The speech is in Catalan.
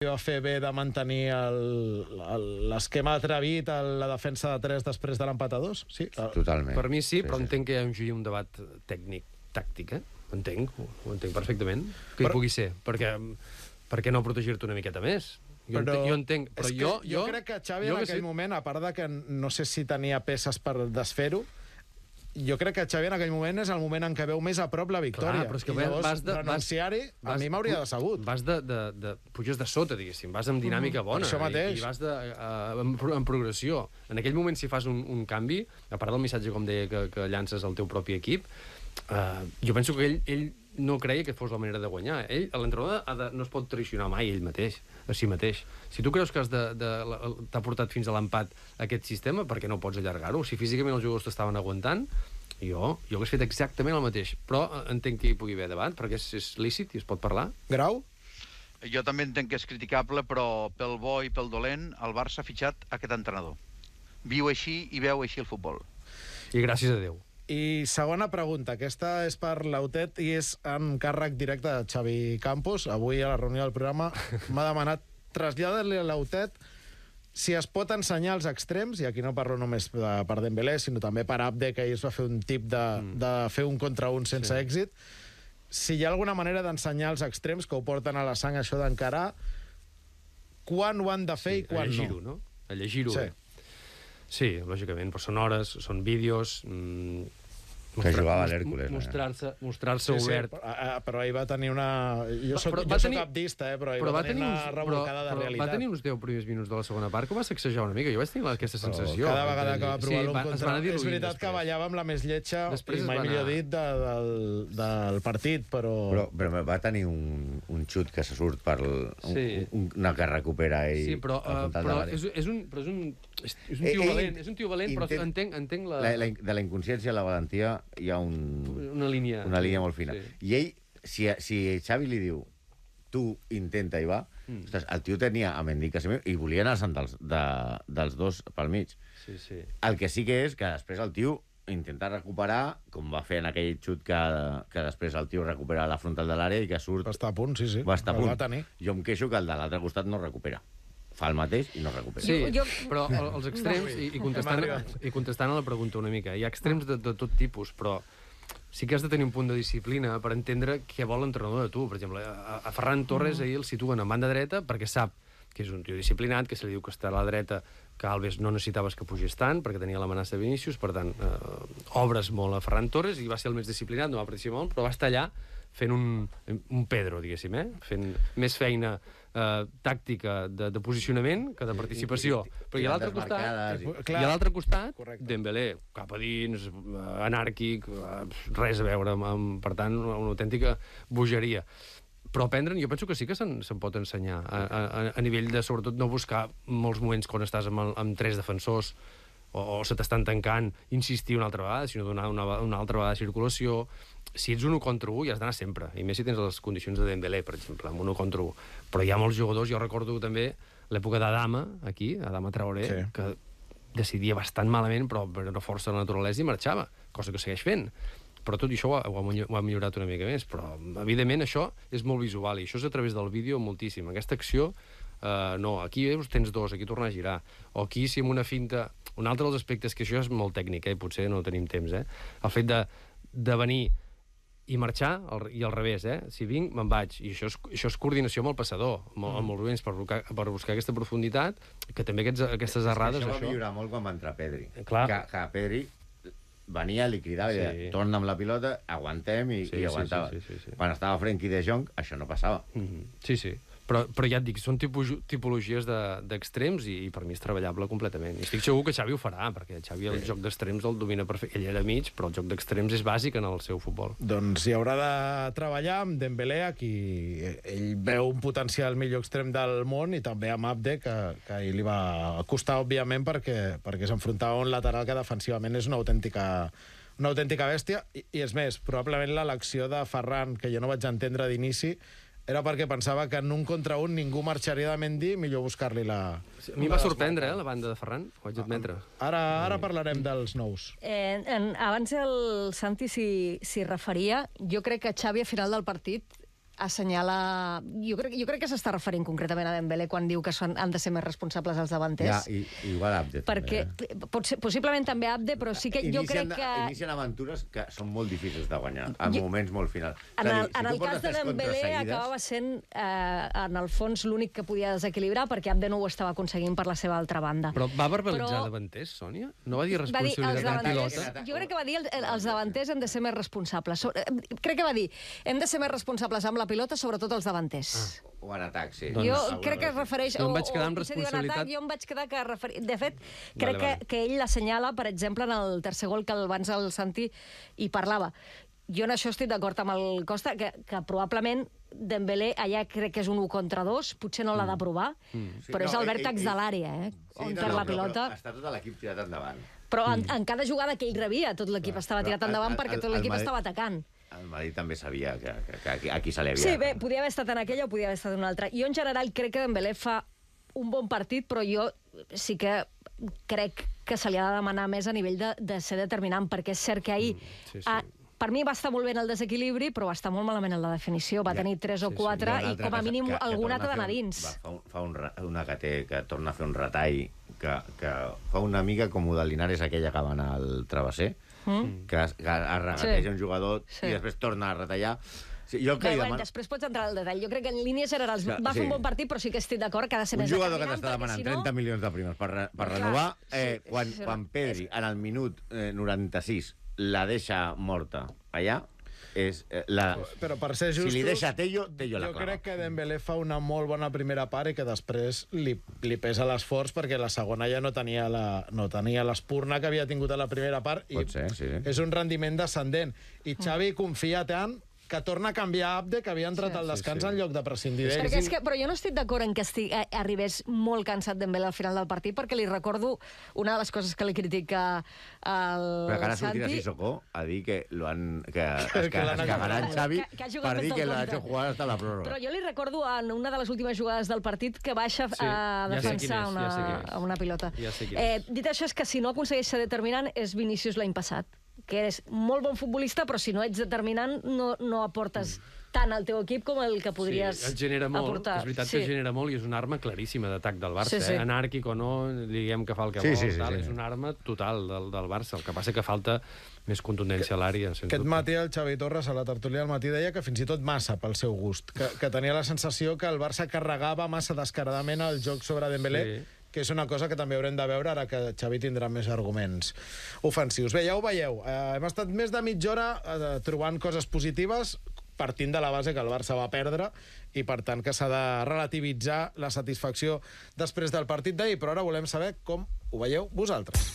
va fer bé de mantenir l'esquema atrevit a la defensa de 3 després de l'empat a 2? Sí, totalment. Per mi sí, però entenc que hi ha un debat tècnic, tàctic, ho entenc perfectament, que hi pugui ser, perquè per què no protegir-te una miqueta més? Jo entenc, però jo crec que Xavi en aquell moment, a part de que no sé si tenia peces per desfer-ho, jo crec que Xavi en aquell moment és el moment en què veu més a prop la victòria. Clar, però és que i llavors renunciar-hi a mi m'hauria decebut. Puges de sota, diguéssim, vas amb dinàmica bona. Això mateix. I vas en progressió. En aquell moment, si fas un canvi, a part del missatge, com deia, que llances al teu propi equip, jo penso que ell no creia que fos la manera de guanyar. L'entrenador no es pot traicionar mai ell mateix, a si mateix. Si tu creus que t'ha portat fins a l'empat aquest sistema, per què no pots allargar-ho? Si físicament els jugadors t'estaven aguantant, jo hagués fet exactament el mateix. Però entenc que hi pugui haver debat, perquè és lícit i es pot parlar. Grau? Jo també entenc que és criticable, però pel bo i pel dolent, el Barça ha fitxat aquest entrenador. Viu així i veu així el futbol. I gràcies a Déu. I segona pregunta, aquesta és per l'Autet i és en càrrec directe de Xavi Campos. Avui a la reunió del programa m'ha demanat traslladar-li a l'Autet si es pot ensenyar els extrems, i aquí no parlo només per Dembélé, sinó també per Abde, que ahir es va fer un tip de fer un contra un sense èxit, si hi ha alguna manera d'ensenyar els extrems que ho porten a la sang, això d'encarar, quan ho han de fer i quan no. A llegir-ho, no? A llegir-ho. Sí. Sí, lògicament, però són hores, són vídeos... Que jugava a l'Hèrcules. Mostrar-se obert. Però ahir va tenir una... Jo soc abdista, però ahir va tenir una revolcada de realitat. Va tenir uns 10 primers minuts de la segona part que va sacsejar una mica. Jo vaig tenir aquesta sensació. Cada vegada que va provar l'un contra... És veritat que ballava amb la més lletja, i mai millor dit, del partit, però... Però va tenir un xut que se surt per una que recupera ell. Sí, però és un tio valent, però entenc la... De la inconsciència a la valentia hi ha una línia molt fina. I ell, si Xavi li diu tu intenta i va, el tio tenia a Mendy i volia anar dels dos pel mig. El que sí que és que després el tio intenta recuperar, com va fer en aquell xut que després el tio recupera la frontal de l'àrea i que surt... Va estar a punt, sí. Va estar a punt. Jo em queixo que el de l'altre costat no recupera. Fa el mateix i no recupera. Sí, però els extrems, i contestant a la pregunta una mica, hi ha extrems de tot tipus, però sí que has de tenir un punt de disciplina per entendre què vol l'entrenador de tu. Per exemple, a Ferran Torres ahir el situen en banda dreta perquè sap que és un tio disciplinat, que se li diu que està a la dreta, que Alves no necessitaves que pugés tant, perquè tenia l'amenaça de Vinícius, per tant, obres molt a Ferran Torres, i va ser el més disciplinat, no va participar molt, però va estar allà fent un Pedro, diguéssim, fent més feina tàctica de posicionament que de participació. Però i a l'altre costat, Dembélé, cap a dins, anàrquic, res a veure, per tant, una autèntica bogeria. Però aprendre'n, jo penso que sí que se'n pot ensenyar, a nivell de, sobretot, no buscar molts moments quan estàs amb 3 defensors o se t'estan tancant, insistir una altra vegada, sinó donar una altra vegada de circulació. Si ets un 1 contra 1, hi has d'anar sempre, i més si tens les condicions de Dembélé, per exemple, amb un 1 contra 1. Però hi ha molts jugadors, jo recordo també l'època d'Adama, aquí, Adama Traoré, que decidia bastant malament, però per una força de la naturalesa i marxava, cosa que segueix fent. Però tot això ho ha millorat una mica més, però evidentment això és molt visual i això és a través del vídeo moltíssim. Aquesta acció, no, aquí tens 2, aquí tornar a girar, o aquí si amb una finta... Un altre dels aspectes, que això és molt tècnic, potser no tenim temps, el fet de venir i marxar, i al revés, si vinc, me'n vaig, i això és coordinació amb el passador, amb els moviments, per buscar aquesta profunditat, que també aquestes errades... Això va millorar molt quan va entrar Pedri. Clar. Que Pedri venia, li cridava i deia, torna amb la pilota, aguantem, i aguantava. Quan estava Frenkie de Jong, això no passava. Sí. Però ja et dic, són tipologies d'extrems i per mi és treballable completament. I estic segur que Xavi ho farà, perquè Xavi el joc d'extrems el domina perfecte. Ell era mig, però el joc d'extrems és bàsic en el seu futbol. Doncs hi haurà de treballar amb Dembélé, qui ell veu un potencial millor extrem del món, i també amb Abde, que ell li va costar, òbviament, perquè s'enfrontava a un lateral que defensivament és una autèntica bèstia. I és més, probablement l'elecció de Ferran, que jo no vaig entendre d'inici, era perquè pensava que en 1 contra 1 ningú marxaria de Mendy, millor buscar-li la... A mi va sorprendre, la banda de Ferran, ho haig d'admetre. Ara parlarem dels nous. Abans el Santi s'hi referia. Jo crec que Xavi, a final del partit, assenyala... Jo crec que s'està referint concretament a Dembélé quan diu que han de ser més responsables els davanters. Ja, igual Abde, perquè, també. possiblement també Abde, però sí que jo crec que... Inicien aventures que són molt difícils de guanyar, en moments molt finals. En el cas de Dembélé acabava sent, en el fons, l'únic que podia desequilibrar perquè Abde no ho estava aconseguint per la seva altra banda. Però va verbalitzar davanters, Sònia? No va dir responsabilitat del pilota? Jo crec que va dir els davanters hem de ser més responsables. Crec que va dir hem de ser més responsables amb la pilota, sobretot els davanters. O en atac, sí. Jo crec que es refereix... Jo em vaig quedar amb responsabilitat... Jo em vaig quedar que... De fet, crec que ell l'assenyala, per exemple, en el tercer gol que abans el Santi hi parlava. Jo en això estic d'acord amb el Costa, que probablement Dembélé allà crec que és un 1 contra 2, potser no l'ha de provar, però és el vèrtex de l'àrea, on perd la pilota. Està tot l'equip tirat endavant. Però en cada jugada que ell rebia, tot l'equip estava tirat endavant perquè tot l'equip estava atacant. El Madrid també sabia que aquí se li havia... Sí, bé, podia haver estat en aquella o podia haver estat en una altra. Jo, en general, crec que Dembélé fa un bon partit, però jo sí que crec que se li ha de demanar més a nivell de ser determinant, perquè és cert que ahir... Per mi va estar molt bé en el desequilibri, però va estar molt malament en la definició. Va tenir 3 o 4 i com a mínim alguna t'ha d'anar dins. Fa una que torna a fer un retall que fa una mica com de Linares aquella que va anar al travesser, que es regateja un jugador i després torna a retallar. Després pots entrar al detall. Jo crec que en línies generals va fer un bon partit, però sí que estic d'acord que ha de ser més determinant. Un jugador que t'està demanant 30 milions de primes per renovar, quan Pedri, en el minut 96, la deixa morta allà, però per ser justos, si li deixa Tello la clava. Jo crec que Dembélé fa una molt bona primera part i que després li pesa l'esforç perquè la segona ja no tenia l'espurna que havia tingut a la primera part i és un rendiment descendent. I Xavi confia tant que torna a canviar Abde, que havia entrat al descans en lloc de prescindir d'ell. Però jo no estic d'acord en que arribés molt cansat Dembélé al final del partit, perquè li recordo una de les coses que li critica al Santi... Però que ara sortirà Sissoko a dir que es cagarà en Xavi per dir que l'ha hecho jugar hasta la pròrroga. Però jo li recordo en una de les últimes jugades del partit que baixa a defensar una pilota. Dit això, és que si no aconsegueix ser determinant és Vinícius l'any passat, que és molt bon futbolista, però si no ets determinant no aportes tant al teu equip com el que podries aportar. Sí, et genera molt, és veritat que genera molt i és una arma claríssima d'atac del Barça. Anàrquic o no, diguem que fa el que vol, és una arma total del Barça. El que passa que falta més contundència a l'àrea. Aquest matí el Xavi Torres a la tertúlia del matí deia que fins i tot massa pel seu gust, que tenia la sensació que el Barça carregava massa descaradament el joc sobre Dembélé, que és una cosa que també haurem de veure ara que Xavi tindrà més arguments ofensius. Bé, ja ho veieu, hem estat més de mitja hora trobant coses positives, partint de la base que el Barça va perdre i, per tant, que s'ha de relativitzar la satisfacció després del partit d'ahir. Però ara volem saber com ho veieu vosaltres.